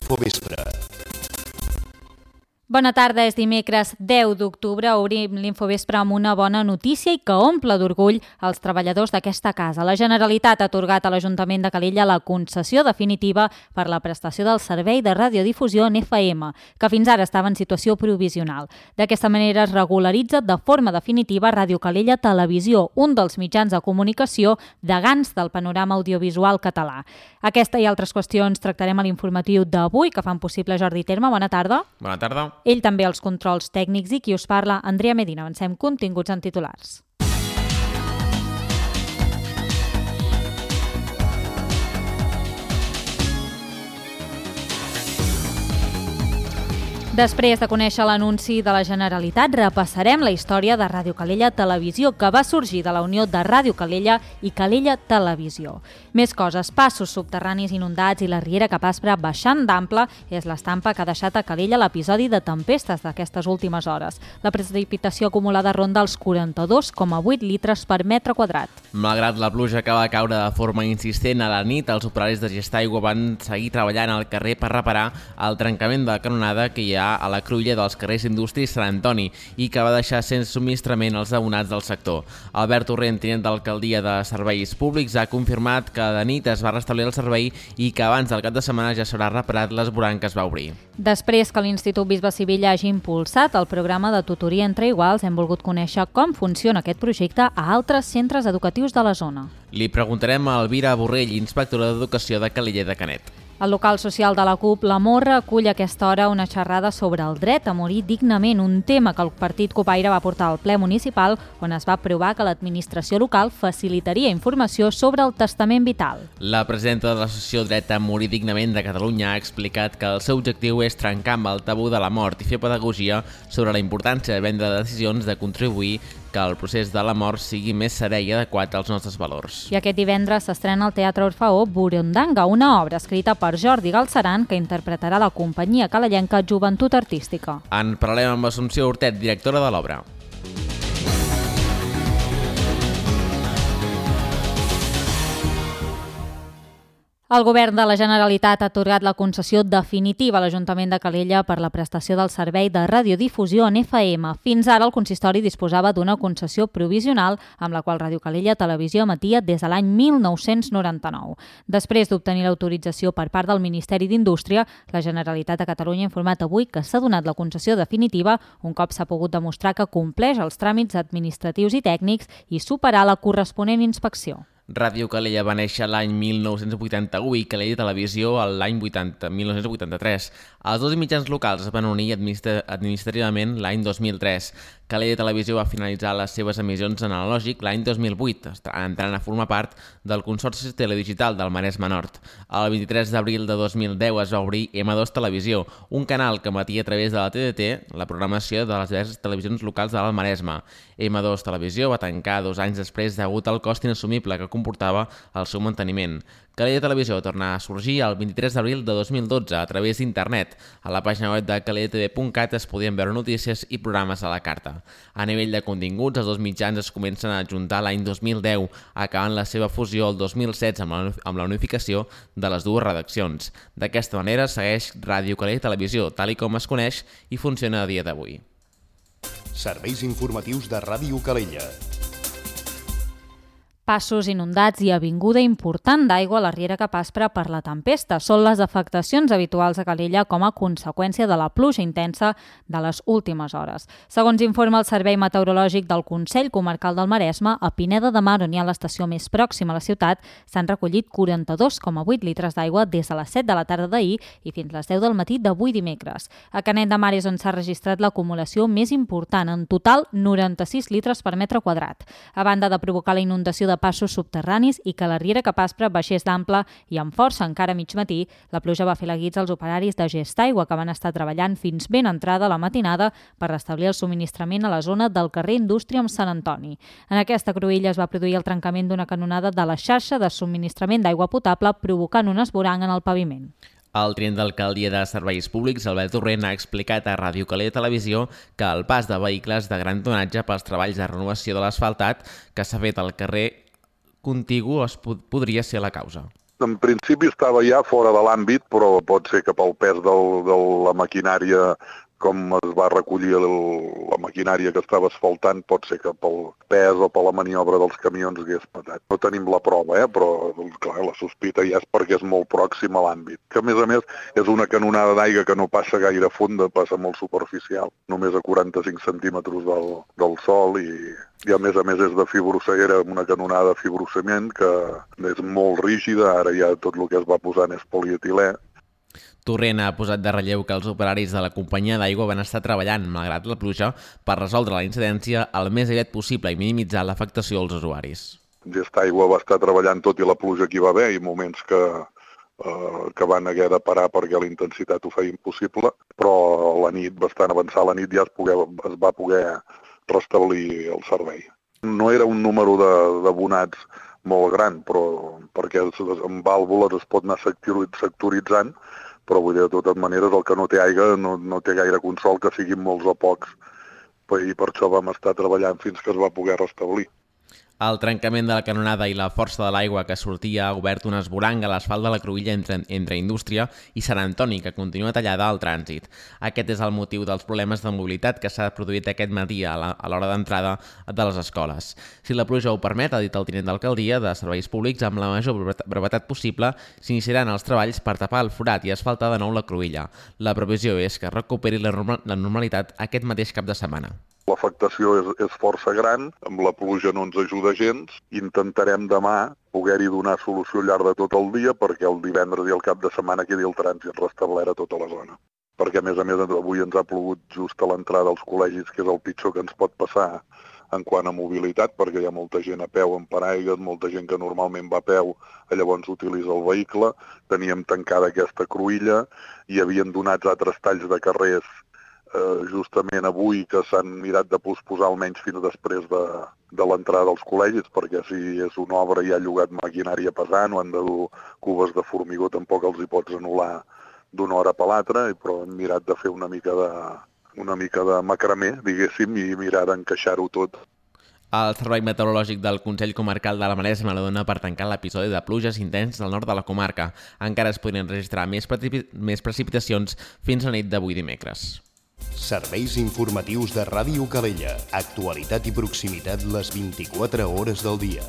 Infovespre. Bona tarda, és dimecres 10 d'octubre. Obrim l'Infovespre amb una bona notícia i que omple d'orgull els treballadors d'aquesta casa. La Generalitat ha atorgat a l'Ajuntament de Calella la concessió definitiva per la prestació del servei de radiodifusió en FM, que fins ara estava en situació provisional. D'aquesta manera es regularitza de forma definitiva Ràdio Calella Televisió, un dels mitjans de comunicació degans del panorama audiovisual català. Aquesta i altres qüestions tractarem a l'informatiu d'avui, que fan possible Jordi Terme. Bona tarda. Bona tarda. Ell també als controls tècnics i qui us parla, Andrea Medina. Avancem continguts en titulars. Després de conèixer l'anunci de la Generalitat, repassarem la història de Ràdio Calella Televisió, que va sorgir de la unió de Ràdio Calella i Calella Televisió. Més coses, passos subterranis inundats i la riera Capaspra baixant d'ample és l'estampa que ha deixat a Calella l'episodi de tempestes d'aquestes últimes hores. La precipitació acumulada ronda els 42,8 litres per metre quadrat. Malgrat la pluja que va caure de forma insistent a la nit, els operaris de Gestaigua van seguir treballant al carrer per reparar el trencament de la canonada que hi ha a la cruïlla dels carrers Indústria i Sant Antoni i que va deixar sense subministrament els abonats del sector. Albert Torrent, tinent d'alcaldia de Serveis Públics, ha confirmat que de nit es va restablir el servei i que abans del cap de setmana ja s'haurà reparat l'esborant que es va obrir. Després que l'Institut Bisbe Sivilla hagi impulsat el programa de tutoria entre iguals, hem volgut conèixer com funciona aquest projecte a altres centres educatius de la zona. Li preguntarem a Elvira Borrell, inspectora d'Educació de Calella de Canet. El local social de la CUP, La Morra, acull a aquesta hora una xerrada sobre el dret a morir dignament, un tema que el partit copaire va portar al ple municipal, on es va aprovar que l'administració local facilitaria informació sobre el testament vital. La presidenta de l'Associació Dret a Morir Dignament de Catalunya ha explicat que el seu objectiu és trencar amb el tabú de la mort i fer pedagogia sobre la importància de prendre decisions de contribuir que el procés de la mort sigui més serè i adequat als nostres valors. I aquest divendres s'estrena al Teatre Orfeó Burundanga, una obra escrita per Jordi Galceran que interpretarà la companyia calellenca Joventut Artística. En parlem amb Assumpció Hortet, directora de l'obra. El govern de la Generalitat ha atorgat la concessió definitiva a l'Ajuntament de Calella per la prestació del servei de radiodifusió en FM. Fins ara el consistori disposava d'una concessió provisional amb la qual Ràdio Calella Televisió emetia des de l'any 1999. Després d'obtenir l'autorització per part del Ministeri d'Indústria, la Generalitat de Catalunya ha informat avui que s'ha donat la concessió definitiva un cop s'ha pogut demostrar que compleix els tràmits administratius i tècnics i superar la corresponent inspecció. Ràdio Calella va néixer l'any 1981 i Calella Televisió l'any 1983. Els dos mitjans locals es van unir administrativament l'any 2003. Calella Televisió va finalitzar les seves emissions en analògic l'any 2008, entrant a formar part del Consorci Teledigital del Maresme Nord. El 23 d'abril de 2010 es va obrir M2 Televisió, un canal que emetia a través de la TDT la programació de les diverses televisions locals del Maresme. M2 Televisió va tancar 2 anys després degut al cost inassumible que comportava el seu manteniment. Calella Televisió va tornar a sorgir el 23 d'abril de 2012 a través d'internet. A la pàgina web de calellatv.cat es podien veure notícies i programes a la carta. A nivell de continguts, els dos mitjans es comencen a ajuntar l'any 2010, acabant la seva fusió el 2016 amb la unificació de les dues redaccions. D'aquesta manera segueix Ràdio Calella Televisió, tal i com es coneix i funciona a dia d'avui. Serveis informatius de Ràdio Calella. Passos inundats i avinguda important d'aigua a la riera Capaspra per la tempesta. Són les afectacions habituals a Calella com a conseqüència de la pluja intensa de les últimes hores. Segons informa el Servei Meteorològic del Consell Comarcal del Maresme, a Pineda de Mar, on hi ha l'estació més pròxima a la ciutat, s'han recollit 42,8 litres d'aigua des de les 7 de la tarda d'ahir i fins les 10 del matí d'avui dimecres. A Canet de Mar és on s'ha registrat l'acumulació més important, en total 96 litres per metre quadrat. A banda de provocar la inundació de passos subterranis i que la riera Capaspra baixés d'ample i amb força encara a mig matí, la pluja va fer la guitza als operaris de Gestaigua que van estar treballant fins ben entrada la matinada per restablir el subministrament a la zona del carrer Indústria amb Sant Antoni. En aquesta cruïlla es va produir el trencament d'una canonada de la xarxa de subministrament d'aigua potable provocant un esborang en el paviment. El tinent d'alcaldia de Serveis Públics, Albert Torrent, ha explicat a Ràdio Calella Televisió que el pas de vehicles de gran tonatge pels treballs de renovació de l'asfaltat que s'ha fet al carrer contigu podria ser la causa. En principi estava ja fora de l'àmbit, però pot ser que pel pes de la maquinària, com es va recollir la maquinària que estava asfaltant, pot ser que pel pes o per la maniobra dels camions hagués patat. No tenim la prova, però clar, la sospita ja és perquè és molt pròxim a l'àmbit. Que a més és una canonada d'aigua que no passa gaire fonda, passa molt superficial, només a 45 centímetres del sòl i a més és de fibroceguera, una canonada de fibrocement que és molt rígida, ara ja tot el que es va posant és polietilè. Torrent ha posat de relleu que els operaris de la companyia d'aigua van estar treballant, malgrat la pluja, per resoldre la incidència el més aviat possible i minimitzar l'afectació als usuaris. Gestaigua va estar treballant tot i la pluja que hi va haver i moments que van haver de parar perquè la intensitat ho feia impossible, però la nit, bastant avançada la nit, ja es va poder restablir el servei. No era un número d'abonats molt gran, però perquè amb vàlvules es pot anar sectoritzant, però vull dir, de totes maneres, el que no té aigua no té gaire consol, que siguin molts o pocs, i per això vam estar treballant fins que es va poder restablir. El trencament de la canonada i la força de l'aigua que sortia ha obert un esvoranc a l'asfalt de la cruïlla entre Indústria i Sant Antoni, que continua tallada al trànsit. Aquest és el motiu dels problemes de mobilitat que s'ha produït aquest matí a l'hora d'entrada de les escoles. Si la pluja ho permet, ha dit el tinent d'alcaldia de Serveis Públics, amb la major brevetat possible s'iniciaran els treballs per tapar el forat i asfaltar de nou la cruïlla. La previsió és que recuperi la normalitat aquest mateix cap de setmana. L'afectació és força gran, amb la pluja no ens ajuda gens. Intentarem demà poder-hi donar solució al llarg de tot el dia perquè el divendres i el cap de setmana quedi el trànsit restablert a tota la zona. Perquè, a més, avui ens ha plogut just a l'entrada dels col·legis, que és el pitjor que ens pot passar en quant a mobilitat, perquè hi ha molta gent a peu amb paraigües, molta gent que normalment va a peu, llavors utilitza el vehicle. Teníem tancada aquesta cruïlla i havien donat altres talls de carrers justament avui, que s'han mirat de posposar almenys fins després de l'entrada dels col·legis, perquè si és una obra i ha llogat maquinària pesant o han de dur cubes de formigó, tampoc els hi pots anul·lar d'una hora per l'altra, però hem mirat de fer una mica de macramé, diguéssim, i mirar d'encaixar-ho tot. El Servei Meteorològic del Consell Comarcal de la Maresme la dona per tancar l'episodi de pluges intens del nord de la comarca. Encara es podrien registrar més precipitacions fins a la nit d'avui dimecres. Serveis informatius de Ràdio Calella. Actualitat i proximitat les 24 hores del dia.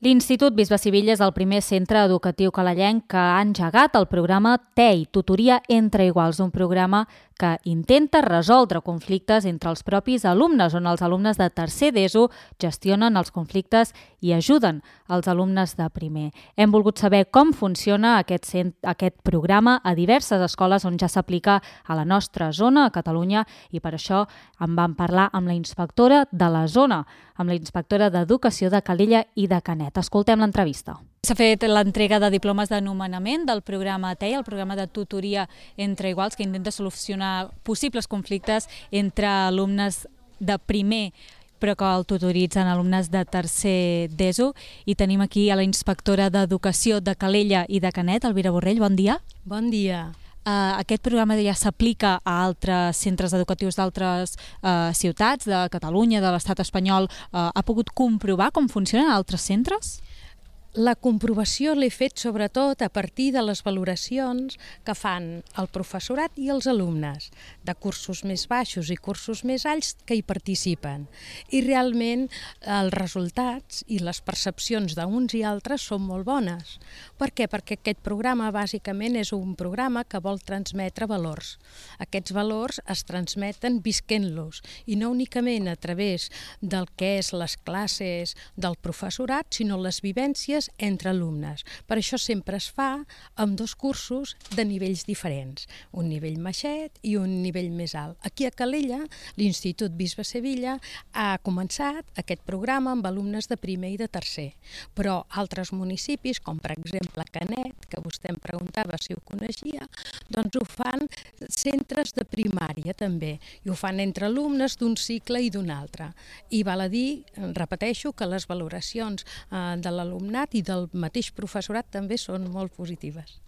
L'Institut Bisbe Sivilla és el primer centre educatiu calellenc que ha engegat el programa TEI, Tutoria entre Iguals, un programa que intenta resoldre conflictes entre els propis alumnes, on els alumnes de tercer d'ESO gestionen els conflictes i ajuden els alumnes de primer. Hem volgut saber com funciona aquest programa a diverses escoles on ja s'aplica a la nostra zona, a Catalunya, i per això en vam parlar amb la inspectora de la zona, amb la inspectora d'Educació de Calella i de Canet. Escoltem l'entrevista. S'ha fet l'entrega de diplomes de nomenament del programa TEI, el programa de tutoria entre iguals, que intenta solucionar possibles conflictes entre alumnes de primer però que el tutoritzen alumnes de tercer d'ESO. I tenim aquí a la inspectora d'Educació de Calella i de Canet, Elvira Borrell. Bon dia. Bon dia. Aquest programa ja s'aplica a altres centres educatius d'altres ciutats de Catalunya, de l'estat espanyol. Ha pogut comprovar com funcionen altres centres? La comprovació l'he fet sobretot a partir de les valoracions que fan el professorat i els alumnes, de cursos més baixos i cursos més alts que hi participen. I realment els resultats i les percepcions d'uns i altres són molt bones. Per què? Perquè aquest programa bàsicament és un programa que vol transmetre valors. Aquests valors es transmeten visquent-los i no únicament a través del que és les classes del professorat, sinó les vivències entre alumnes. Per això sempre es fa amb dos cursos de nivells diferents, un nivell baixet i un nivell més alt. Aquí a Calella, l'Institut Bisbe Sivilla ha començat aquest programa amb alumnes de primer i de tercer, però altres municipis, com per exemple Canet, que vostè em preguntava si ho coneixia, doncs ho fan centres de primària també, i ho fan entre alumnes d'un cicle i d'un altre. I val a dir, repeteixo, que les valoracions de l'alumnat i del mateix professorat també són molt positives.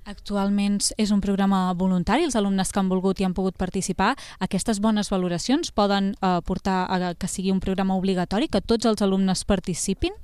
Actualment és un programa voluntari, els alumnes que han volgut i han pogut participar. Aquestes bones valoracions poden portar a que sigui un programa obligatori, que tots els alumnes participin?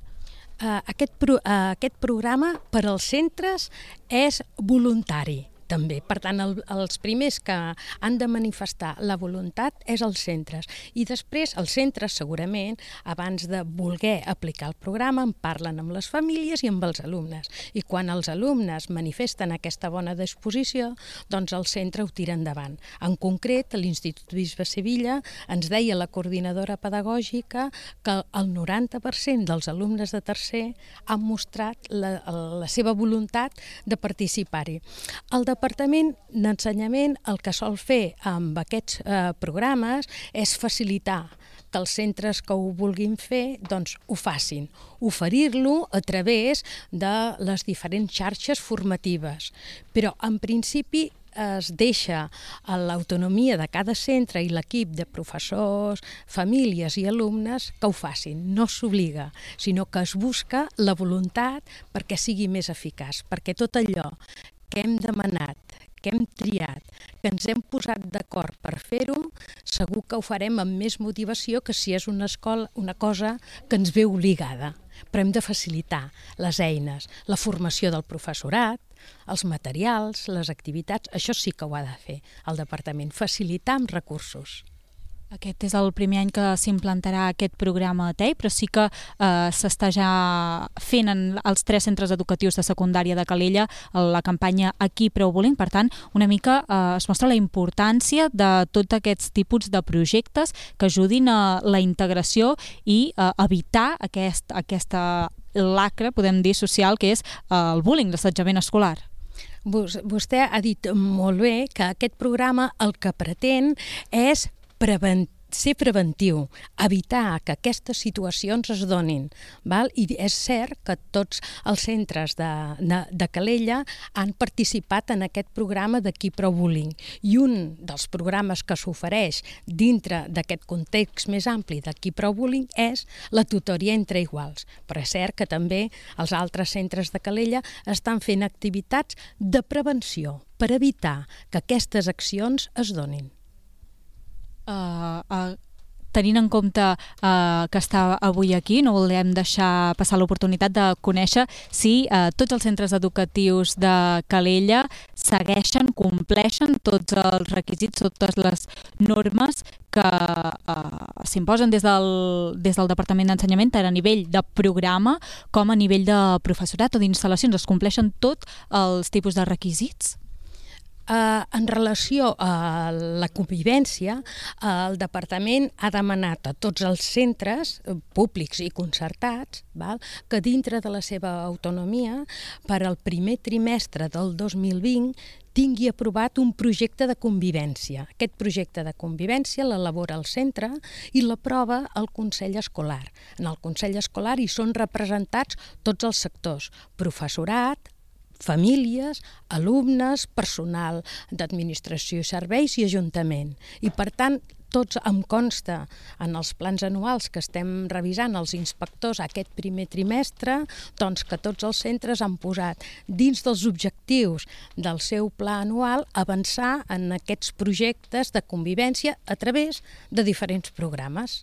Aquest programa per als centres és voluntari. També. Per tant, els primers que han de manifestar la voluntat és els centres. I després, els centres, segurament, abans de voler aplicar el programa, en parlen amb les famílies i amb els alumnes. I quan els alumnes manifesten aquesta bona disposició, doncs el centre ho tira endavant. En concret, l'Institut Bisbe Sevilla ens deia la coordinadora pedagògica que el 90% dels alumnes de tercer han mostrat la seva voluntat de participar-hi. El Departament d'Ensenyament el que sol fer amb aquests programes és facilitar que els centres que ho vulguin fer doncs ho facin, oferir-lo a través de les diferents xarxes formatives. Però en principi es deixa a l'autonomia de cada centre i l'equip de professors, famílies i alumnes que ho facin. No s'obliga, sinó que es busca la voluntat perquè sigui més eficaç, perquè tot allò que hem demanat, que hem triat, que ens hem posat d'acord per fer-ho, segur que ho farem amb més motivació que si és una cosa que ens ve obligada. Però hem de facilitar les eines, la formació del professorat, els materials, les activitats, això sí que ho ha de fer el departament, facilitar amb recursos. Aquest és el primer any que s'implantarà aquest programa a TEI, però sí que s'està ja fent en els 3 centres educatius de secundària de Calella la campanya Aquí prou bullying. Per tant, una mica es mostra la importància de tots aquests tipus de projectes que ajudin a la integració i a evitar aquesta lacra, podem dir, social, que és el bullying, l'assetjament escolar. Vostè ha dit molt bé que aquest programa el que pretén és ser preventiu, evitar que aquestes situacions es donin. Val? I és cert que tots els centres de Calella han participat en aquest programa d'Aquí prou bullying. I un dels programes que s'ofereix dintre d'aquest context més ampli d'Aquí prou bullying és la tutoria entre iguals. Però és cert que també els altres centres de Calella estan fent activitats de prevenció per evitar que aquestes accions es donin. Tenint en compte que està avui aquí, no volem deixar passar l'oportunitat de conèixer si tots els centres educatius de Calella segueixen, compleixen tots els requisits, totes les normes que s'imposen des del Departament d'Ensenyament, tant a nivell de programa com a nivell de professorat o d'instal·lacions. Es compleixen tots els tipus de requisits? En relació a la convivència, el Departament ha demanat a tots els centres públics i concertats que dintre de la seva autonomia, per al primer trimestre del 2020, tingui aprovat un projecte de convivència. Aquest projecte de convivència l'elabora el centre i l'aprova el Consell Escolar. En el Consell Escolar hi són representats tots els sectors, professorat, famílies, alumnes, personal d'administració i serveis i ajuntament. I per tant, tots em consta en els plans anuals que estem revisant els inspectors aquest primer trimestre, doncs que tots els centres han posat dins dels objectius del seu pla anual avançar en aquests projectes de convivència a través de diferents programes.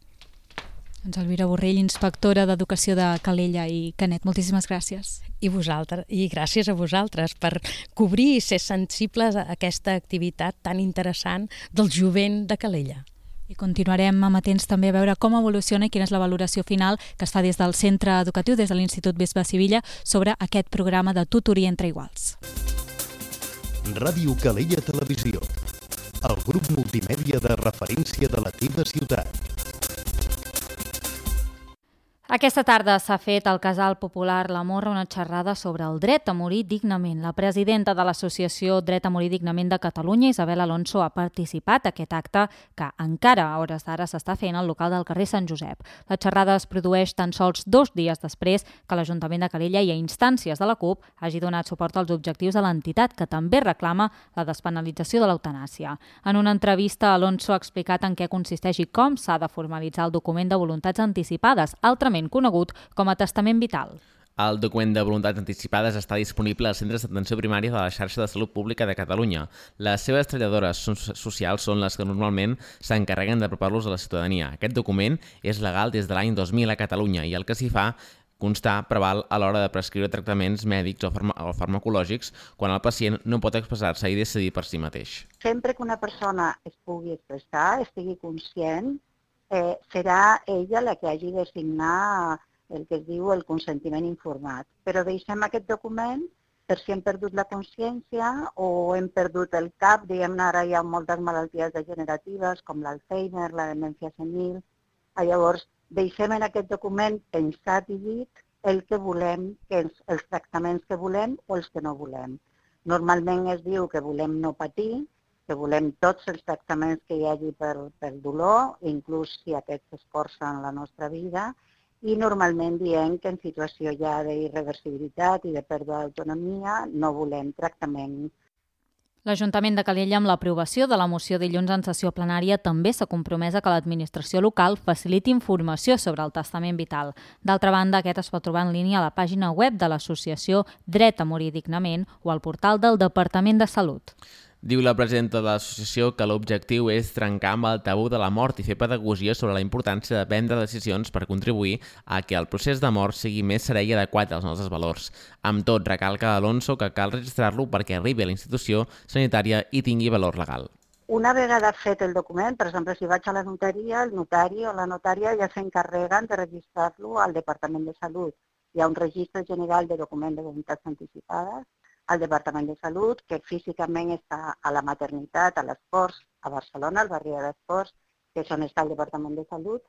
Doncs Elvira Borrell, inspectora d'Educació de Calella i Canet, moltíssimes gràcies. I gràcies a vosaltres per cobrir i ser sensibles a aquesta activitat tan interessant del jovent de Calella. I continuarem amatents també a veure com evoluciona i quina és la valoració final que es fa des del centre educatiu, des de l'Institut Bisbe Sevilla, sobre aquest programa de tutoria entre iguals. Ràdio Calella Televisió, el grup multimèdia de referència de la teva ciutat. Aquesta tarda s'ha fet al Casal Popular La Morra una xerrada sobre el dret a morir dignament. La presidenta de l'Associació Dret a Morir Dignament de Catalunya, Isabel Alonso, ha participat a aquest acte que encara a hores d'ara s'està fent al local del carrer Sant Josep. La xerrada es produeix tan sols 2 dies després que l'Ajuntament de Calella i a instàncies de la CUP hagi donat suport als objectius de l'entitat, que també reclama la despenalització de l'eutanàsia. En una entrevista, Alonso ha explicat en què consisteix i com s'ha de formalitzar el document de voluntats anticipades, altrament conegut com a testament vital. El document de voluntats anticipades està disponible als centres d'atenció primària de la xarxa de salut pública de Catalunya. Les seves treballadores socials són les que normalment s'encarreguen d'apropar-los a la ciutadania. Aquest document és legal des de l'any 2000 a Catalunya i el que s'hi fa constar preval a l'hora de prescriure tractaments mèdics o farmacològics quan el pacient no pot expressar-se i decidir per si mateix. Sempre que una persona es pugui expressar, estigui conscient, serà ella la que hagi de signar el que es diu el consentiment informat. Però deixem aquest document per si hem perdut la consciència o hem perdut el cap. Diguem-ne, ara hi ha moltes malalties degeneratives com l'Alzheimer, la demència senil. Llavors, deixem en aquest document pensat i dit el que volem, els tractaments que volem o els que no volem. Normalment es diu que volem no patir, que volem tots els tractaments que hi hagi per dolor, inclús si aquests escorcen la nostra vida, i normalment diem que en situació ja d'irreversibilitat i de pèrdua d'autonomia no volem tractament. L'Ajuntament de Calella, amb l'aprovació de la moció dilluns en sessió plenària, també s'ha compromès a que l'administració local faciliti informació sobre el testament vital. D'altra banda, aquest es pot trobar en línia a la pàgina web de l'associació Dret a morir dignament o al portal del Departament de Salut. Diu la presidenta de l'associació que l'objectiu és trencar amb el tabú de la mort i fer pedagogia sobre la importància de prendre decisions per contribuir a que el procés de mort sigui més serè i adequat als nostres valors. Amb tot, recalca Alonso que cal registrar-lo perquè arribi a la institució sanitària i tingui valor legal. Una vegada fet el document, per exemple, si vaig a la notaria, el notari o la notària ja s'encarreguen de registrar-lo al Departament de Salut. Hi ha un registre general de documents de voluntats anticipades al Departament de Salut, que físicament està a la maternitat, a l'Esports, a Barcelona, al barri de l'Esports, que és on està el Departament de Salut,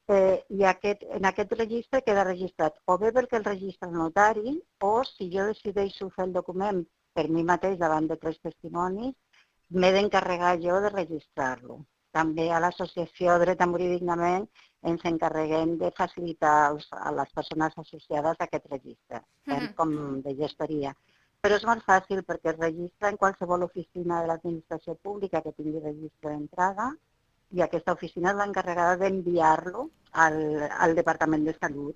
i en aquest registre queda registrat o bé perquè el registra el notari o si jo decideixo fer el document per mi mateix davant de 3 testimonis, m'he d'encarregar jo de registrar-lo. També a l'associació Dret a morir dignament ens encarreguem de facilitar a les persones associades a aquest registre, com de gestoria. Però és molt fàcil perquè es registra en qualsevol oficina de l'administració pública que tingui registre d'entrada i aquesta oficina és l'encarregada d'enviar-lo al Departament de Salut.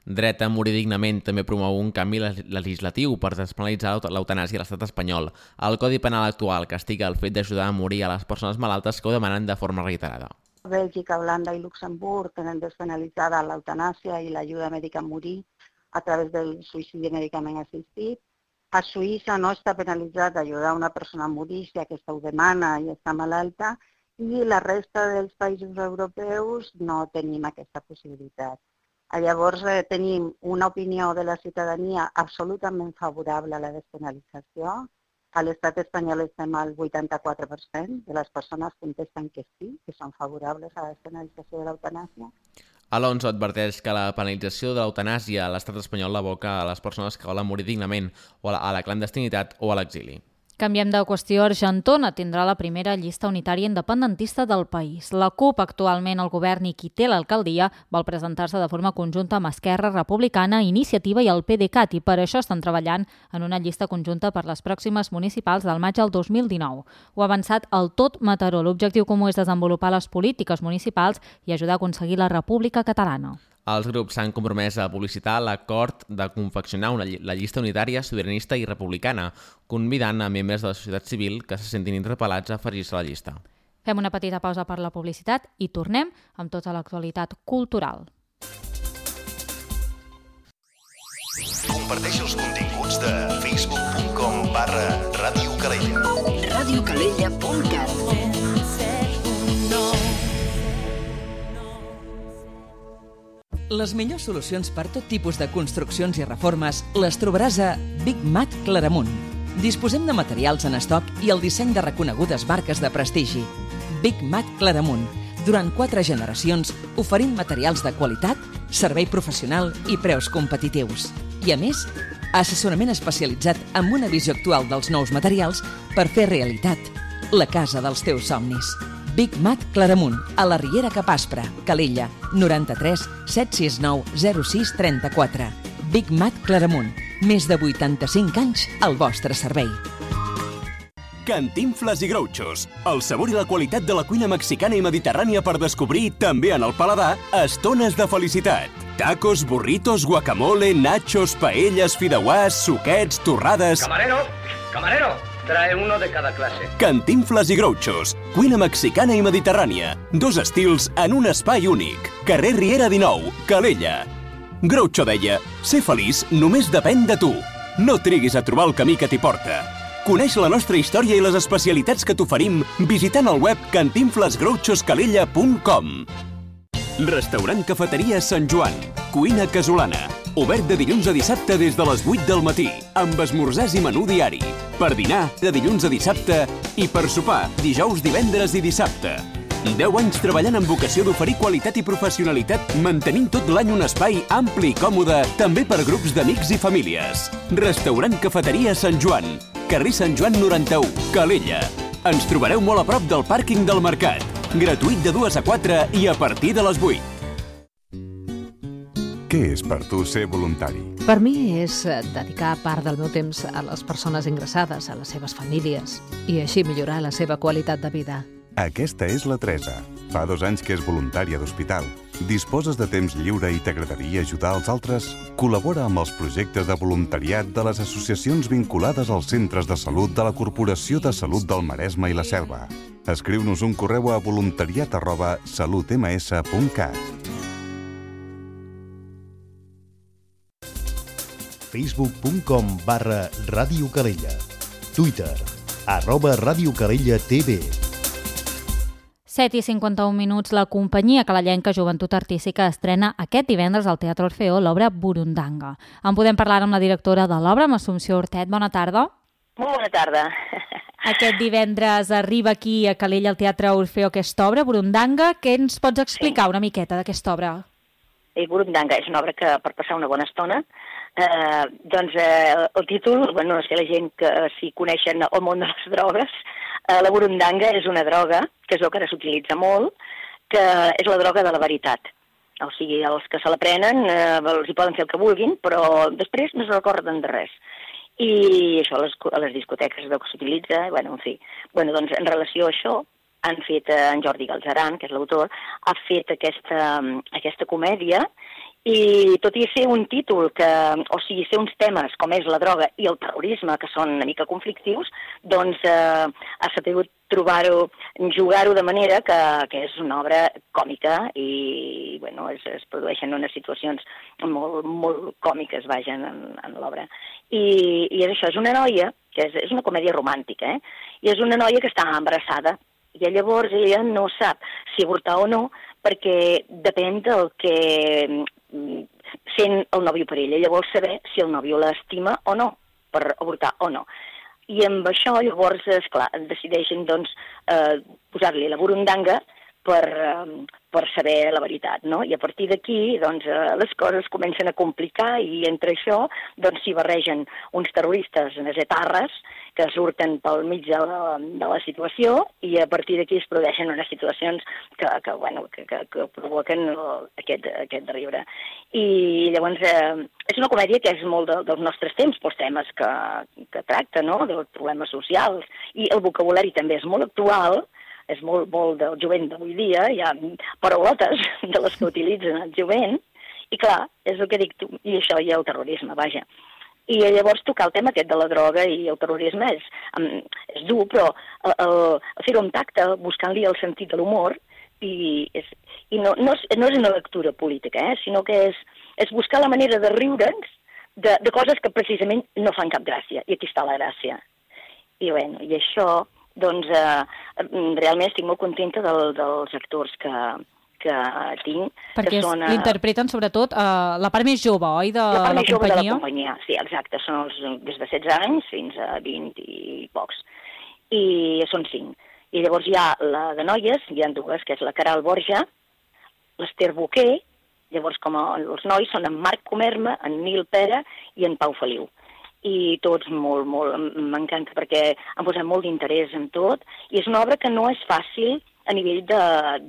Dret a morir dignament també promou un canvi legislatiu per despenalitzar l'eutanàsia a l'estat espanyol. El Codi Penal actual castiga el fet d'ajudar a morir a les persones malaltes que ho demanen de forma reiterada. Bèlgica, Holanda i Luxemburg tenen despenalitzada l'eutanàsia i l'ajuda mèdica a morir a través del suïcidi mèdicament assistit. A Suïssa no està penalitzat ajudar una persona a morir si aquesta ho demana i està malalta, i la resta dels països europeus no tenim aquesta possibilitat. Llavors tenim una opinió de la ciutadania absolutament favorable a la despenalització. A l'estat espanyol estem al 84% de les persones contesten que sí, que són favorables a la despenalització de l'eutanàsia. Alonso adverteix que la penalització de l'eutanàsia a l'estat espanyol l'aboca a les persones que volen morir dignament o a la clandestinitat o a l'exili. Canviem de qüestió. Argentona tindrà la primera llista unitària independentista del país. La CUP, actualment al govern i qui té l'alcaldia, vol presentar-se de forma conjunta amb Esquerra Republicana, Iniciativa i el PDeCAT, i per això estan treballant en una llista conjunta per les pròximes municipals del maig del 2019. Ho ha avançat el Tot Mataró. L'objectiu comú és desenvolupar les polítiques municipals i ajudar a aconseguir la República Catalana. Els grups s'han compromès a publicitar l'acord de confeccionar la llista unitària, sobiranista i republicana, convidant a membres de la societat civil que se sentin interpel·lats a afegir-se a la llista. Fem una petita pausa per la publicitat i tornem amb tota l'actualitat cultural. Comparteix els continguts de facebook.com/Ràdio Calella. radiocalella.cat. Les millors solucions per tot tipus de construccions i reformes les trobaràs a Big Mat Claramunt. Disposem de materials en estoc i el disseny de reconegudes marques de prestigi. Big Mat Claramunt. Durant 4 generacions oferint materials de qualitat, servei professional i preus competitius. I a més, assessorament especialitzat amb una visió actual dels nous materials per fer realitat la casa dels teus somnis. Big Mat Claramunt, a la Riera Capaspra, Calella, 93 769 06 34. Big Mat Claramunt, més de 85 anys al vostre servei. Cantinfles i Grouchos, el sabor i la qualitat de la cuina mexicana i mediterrània per descobrir, també en el paladar, estones de felicitat. Tacos, burritos, guacamole, nachos, paelles, fideuàs, suquets, torrades... Camarero, trae uno de cada clase. Cantinfles i Grouchos, cuina mexicana i mediterrània. 2 estils en un espai únic. Carrer Riera 19, Calella. Groucho deia, ser feliç només depèn de tu. No triguis a trobar el camí que t'hi porta. Coneix la nostra història i les especialitats que t'oferim visitant el web cantinflesgrouchoscalella.com. Restaurant Cafeteria Sant Joan. Cuina casolana. Obert de dilluns a dissabte des de les 8 del matí, amb esmorzars i menú diari. Per dinar, de dilluns a dissabte, i per sopar, dijous, divendres i dissabte. 10 anys treballant amb vocació d'oferir qualitat i professionalitat, mantenint tot l'any un espai ampli i còmode, també per grups d'amics i famílies. Restaurant Cafeteria Sant Joan. Carrer Sant Joan 91, Calella. Ens trobareu molt a prop del pàrquing del Mercat. Gratuït de 2 a 4 i a partir de les 8. Què és per tu ser voluntari? Per mi és dedicar part del meu temps a les persones ingressades, a les seves famílies, i així millorar la seva qualitat de vida. Aquesta és la Teresa. Fa 2 anys que és voluntària d'hospital. Disposes de temps lliure i t'agradaria ajudar els altres? Col·labora amb els projectes de voluntariat de les associacions vinculades als centres de salut de la Corporació de Salut del Maresme i la Selva. Escriu-nos un correu a voluntariat@salutms.cat. facebook.com/Ràdio Calella, Twitter, @Ràdio Calella TV. 7:51, la companyia calellenca Joventut Artística estrena aquest divendres al Teatre Orfeó l'obra Burundanga. En podem parlar amb la directora de l'obra, amb Assumpció Hortet. Bona tarda. Molt bona tarda. Aquest divendres arriba aquí a Calella al Teatre Orfeó aquesta obra, Burundanga. Què ens pots explicar una miqueta d'aquesta obra? Burundanga és una obra que per passar una bona estona. El títol, no sé la gent que si coneixen el món de les drogues, la burundanga és una droga, que és el que ara s'utilitza molt, que és la droga de la veritat. O sigui, els que se la prenen els hi poden fer el que vulguin, però després no se recorden de res. I això a les discoteques és el que s'utilitza, en fi. Doncs en relació a això, han fet, en Jordi Galzeran, que és l'autor, ha fet aquesta comèdia, i tot i ser un títol ser uns temes com és la droga i el terrorisme, que són una mica conflictius, doncs ha sabut jugar-ho de manera que és una obra còmica i, es produeixen unes situacions molt, molt còmiques, en l'obra. I és això, és una noia, que és una comèdia romàntica, i és una noia que està embarassada, i llavors ella no sap si avortar o no, perquè depèn del que sent el nòvio per ella. Ella vol saber si el nòvio l'estima o no, per avortar o no. I amb això, llavors, esclar, decideixen posar-li la burundanga per saber la veritat, no? I a partir d'aquí, les coses comencen a complicar i entre això, s'hi barregen uns terroristes etarres que surten pel mig de la situació i a partir d'aquí es produeixen unes situacions que provoquen aquest riure. I llavors és una comèdia que és molt dels nostres temps, pels temes que tracta, no?, dels problemes socials, i el vocabulari també és molt actual, és molt del jovent d'avui dia, hi ha paraulotes de les que utilitzen el jovent, i clar, és el que dic tu, i això hi ha el terrorisme, vaja. I llavors tocar el tema aquest de la droga i el terrorisme és dur, però fer-ho amb tacte, buscant-li el sentit de l'humor, i no és una lectura política, sinó que és buscar la manera de riure'ns de coses que precisament no fan cap gràcia, i aquí està la gràcia. I això, realment estic molt contenta dels actors que tinc. Perquè l'interpreten sobretot la part més jove, oi, de la companyia? La part més jove de la companyia, sí, exacte. Són des de 16 anys fins a 20 i pocs. I són 5. I llavors hi ha la de noies, hi ha 2, que és la Caral Borja, l'Ester Boquer, llavors com els nois són en Marc Comerma, en Nil Pera i en Pau Feliu. I tots molt, m'encanta perquè han posat molt d'interès en tot i és una obra que no és fàcil a nivell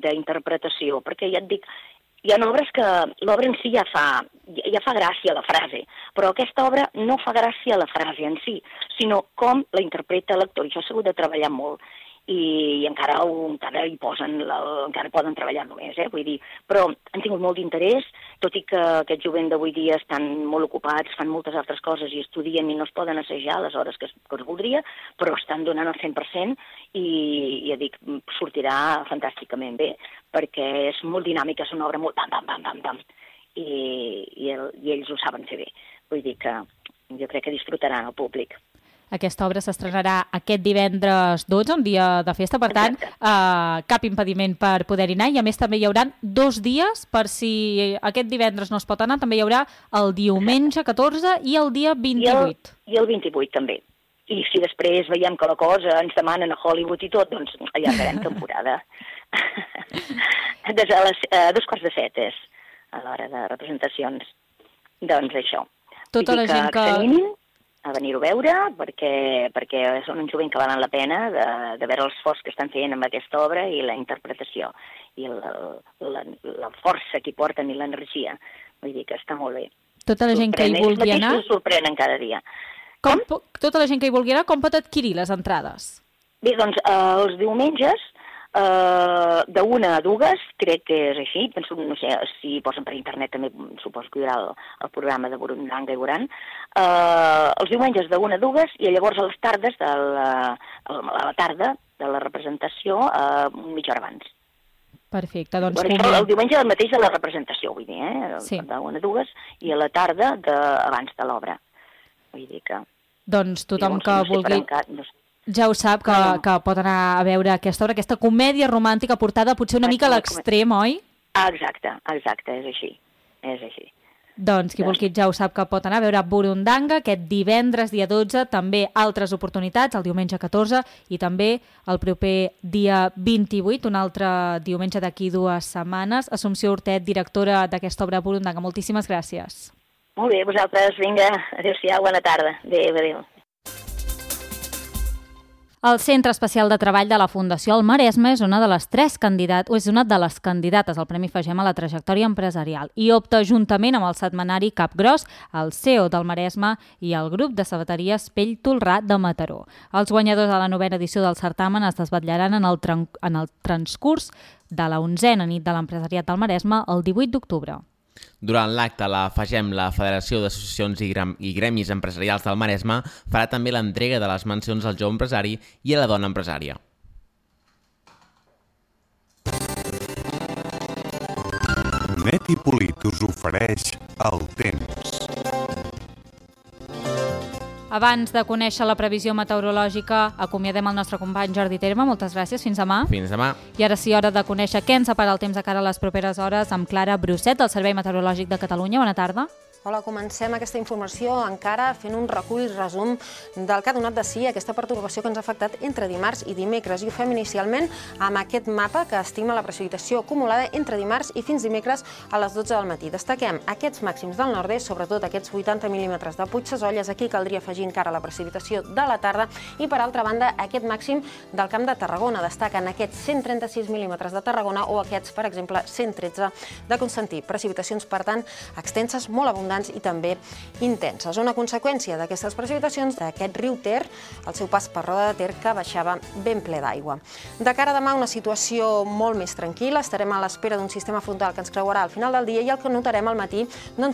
d'interpretació, perquè ja et dic, hi ha obres que l'obra en si ja fa gràcia a la frase, però aquesta obra no fa gràcia a la frase en si, sinó com la interpreta l'actor, i això s'ha hagut de treballar molt. I encara hi posen, encara poden treballar-lo més, vull dir, però han tingut molt d'interès, tot i que aquest jovent d'avui dia estan molt ocupats, fan moltes altres coses i estudien i no es poden assajar a les hores que es voldria, però estan donant el 100% i ja dic, sortirà fantàsticament bé, perquè és molt dinàmica, és una obra molt pam, pam, pam, pam, pam. i ells ho saben fer bé. Vull dir que jo crec que disfrutaran el públic. Aquesta obra s'estrenarà aquest divendres 12, un dia de festa, per tant, cap impediment per poder-hi anar, i a més també hi haurà 2 dies, per si aquest divendres no es pot anar, també hi haurà el diumenge 14 i el dia 28. I el 28 també. I si després veiem que la cosa ens demanen a Hollywood i tot, doncs allargarem temporada. A 6:45 és a l'hora de representacions. Doncs això. Tota la gent que a venir-ho a veure, perquè són un jovent que valen la pena de veure l'esforç que estan fent amb aquesta obra i la interpretació i la força que hi porten i l'energia. Vull dir que està molt bé. Tota la gent que hi vulgui anar... Ells sorprenen cada dia. Tota la gent que hi vulgui anar, com pot adquirir les entrades? Bé, doncs els diumenges, de 1 a 2, crec que és així. Penso, no sé, si posen per internet també suposo que hi haurà el programa de Burundanga i veuran. Els diumenges de 1 a 2 i llavors a les tardes, a la tarda de la representació, mitja hora abans. Perfecte, doncs... El diumenge del mateix de la representació, vull dir, Sí. De 1 a 2 i a la tarda abans de l'obra. Vull dir que... Doncs tothom que vulgui... Ja ho sap, que pot anar a veure aquesta obra, aquesta comèdia romàntica portada potser una mica a l'extrem, oi? Exacte, és així. Doncs qui vulgui ja ho sap que pot anar a veure Burundanga aquest divendres, dia 12, també altres oportunitats, el diumenge 14 i també el proper dia 28, un altre diumenge d'aquí 2 setmanes. Assumpció Hortet, directora d'aquesta obra Burundanga, moltíssimes gràcies. Molt bé, vosaltres, vinga, adéu-siau, bona tarda. Adéu. El Centre Especial de Treball de la Fundació El Maresme és una de les candidates al Premi Fagem a la trajectòria empresarial i opta juntament amb el setmanari Capgròs, el CEO del Maresme i el grup de sabateries Pell Tolrà de Mataró. Els guanyadors de la 9a edició del certamen es desvetllaran en el transcurs de la 11a nit de l'empresariat del Maresme el 18 d'octubre. Durant l'acte, la FAGEM, la Federació d'Associacions i Gremis Empresarials del Maresme, farà també l'entrega de les mencions al jove empresari i a la dona empresària. Net i Polit us ofereix el temps. Abans de conèixer la previsió meteorològica, acomiadem el nostre company Jordi Terme. Moltes gràcies, fins demà. Fins demà. I ara sí, hora de conèixer què ens separa el temps de cara a les properes hores amb Clara Brusset, del Servei Meteorològic de Catalunya. Bona tarda. Hola, comencem aquesta informació encara fent un recull i resum del que ha donat de si aquesta pertorbació que ens ha afectat entre dimarts i dimecres. I ho fem inicialment amb aquest mapa que estima la precipitació acumulada entre dimarts i fins dimecres a les 12 del matí. Destaquem aquests màxims del nord-est, sobretot aquests 80 mil·límetres de Puigsesolles. Aquí caldria afegir encara la precipitació de la tarda i, per altra banda, aquest màxim del Camp de Tarragona. Destaquen aquests 136 mil·límetres de Tarragona o aquests, per exemple, 113 de Constantí. Precipitacions, per tant, extenses, molt abundants i també intenses. Una conseqüència d'aquestes precipitacions d'aquest riu Ter, el seu pas per Roda de Ter, que baixava ben ple d'aigua. De cara a demà, una situació molt més tranquil·la. Estarem a l'espera d'un sistema frontal que ens creuarà al final del dia i el que notarem al matí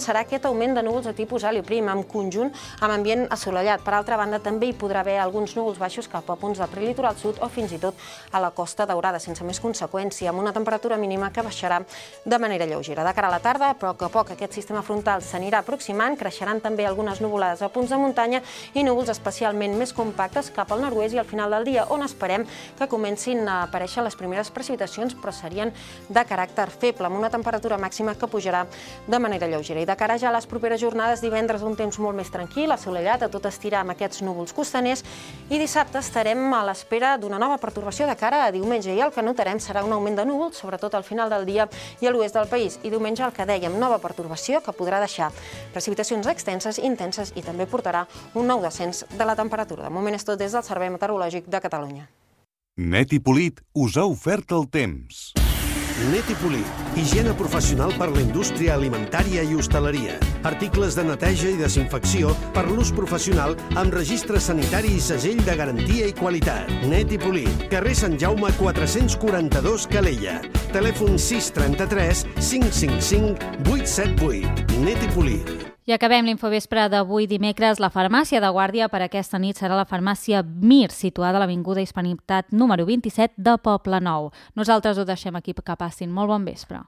serà aquest augment de núvols de tipus helioprim en conjunt amb ambient assolellat. Per altra banda, també hi podrà haver alguns núvols baixos cap a punts del prelitoral sud o fins i tot a la Costa Daurada, sense més conseqüència, amb una temperatura mínima que baixarà de manera lleugera. De cara a la tarda, a poc a poc aquest sistema frontal s'anirà aproximant, creixeran també algunes nuvolades a punts de muntanya i núvols especialment més compactes cap al nord-oest i al final del dia, on esperem que comencin a aparèixer les primeres precipitacions, però serien de caràcter feble, amb una temperatura màxima que pujarà de manera lleugera. I de cara ja a les properes jornades, divendres un temps molt més tranquil, assolellat, a tot estirar amb aquests núvols costaners, i dissabte estarem a l'espera d'una nova pertorbació de cara a diumenge, i el que notarem serà un augment de núvols, sobretot al final del dia i a l'oest del país. I diumenge, el que dèiem, nova pertorbació que podrà deixar precipitacions extenses, intenses, i també portarà un nou descens de la temperatura. De moment és tot des del Servei Meteorològic de Catalunya. Net i Polit us ha ofert el temps. Net i Polit, higiene professional per la indústria alimentària i hostaleria. Articles de neteja i desinfecció per l'ús professional amb registre sanitari i segell de garantia i qualitat. Net i Polit, carrer Sant Jaume 442 Calella. Telèfon 633 555 878. Net i Polit. I acabem l'infovespre d'avui dimecres. La farmàcia de guàrdia per aquesta nit serà la farmàcia Mir, situada a l'Avinguda Hispanitat número 27 de Poblenou. Nosaltres ho deixem aquí, que passin molt bon vespre.